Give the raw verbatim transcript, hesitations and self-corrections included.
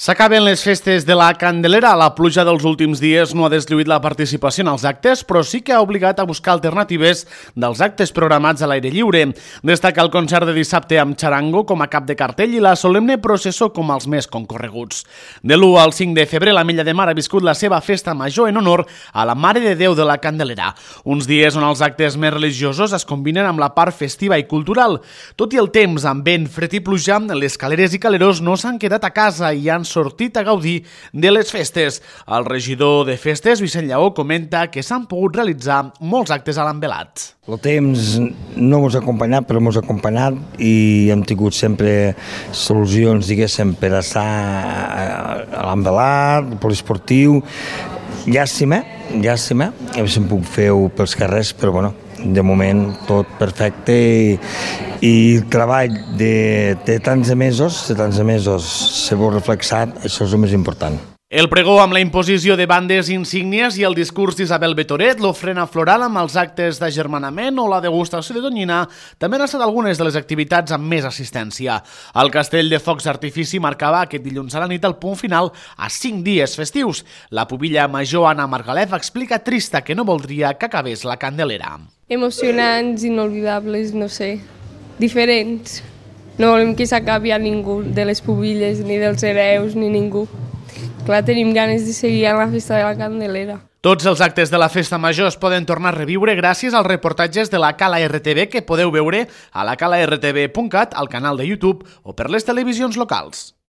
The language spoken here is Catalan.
S'acaben les festes de la Candelera. La pluja dels últims dies no ha deslluït la participació en els actes, però sí que ha obligat a buscar alternatives dels actes programats a l'aire lliure. Destaca el concert de dissabte amb xarango com a cap de cartell i la solemne processó com els més concorreguts. De l'u al cinc de febrer, l'Ametlla de Mar ha viscut la seva festa major en honor a la Mare de Déu de la Candelera. Uns dies on els actes més religiosos es combinen amb la part festiva i cultural. Tot i el temps amb vent, fred i pluja, les caleres i calerós no s'han quedat a casa i han sortit a gaudir de les festes. El regidor de festes, Vicent Lleó, comenta que s'han pogut realitzar molts actes a l'envelat. El temps no ens ha acompanyat, però ens ha acompanyat i hem tingut sempre solucions, diguéssim, per estar a l'envelat, el poliesportiu. Llàstima, llàstima, hem pogut fer-ho pels carrers, però bueno, de moment tot perfecte i, i el treball de, de tants de mesos, de tants de mesos s'ha veu reflexat, això és el més important. El pregó amb la imposició de bandes insígnies i el discurs d'Isabel Betoret, l'ofrena floral amb els actes d'agermanament o la degustació de tonyina també han estat algunes de les activitats amb més assistència. El castell de focs d'artifici marcava aquest dilluns a la nit el punt final a cinc dies festius. La pubilla major Anna Margalef explica trista que no voldria que acabés la Candelera. Emocionants, inolvidables, no sé, diferents. No volem que s'acabi a ningú, de les pubilles, ni dels hereus, ni ningú. Clar, tenim ganes de seguir a la festa de la Candelera. Tots els actes de la festa major es poden tornar a reviure gràcies als reportatges de la Cala R T V que podeu veure a la cala r t v punt cat, al canal de YouTube o per les televisions locals.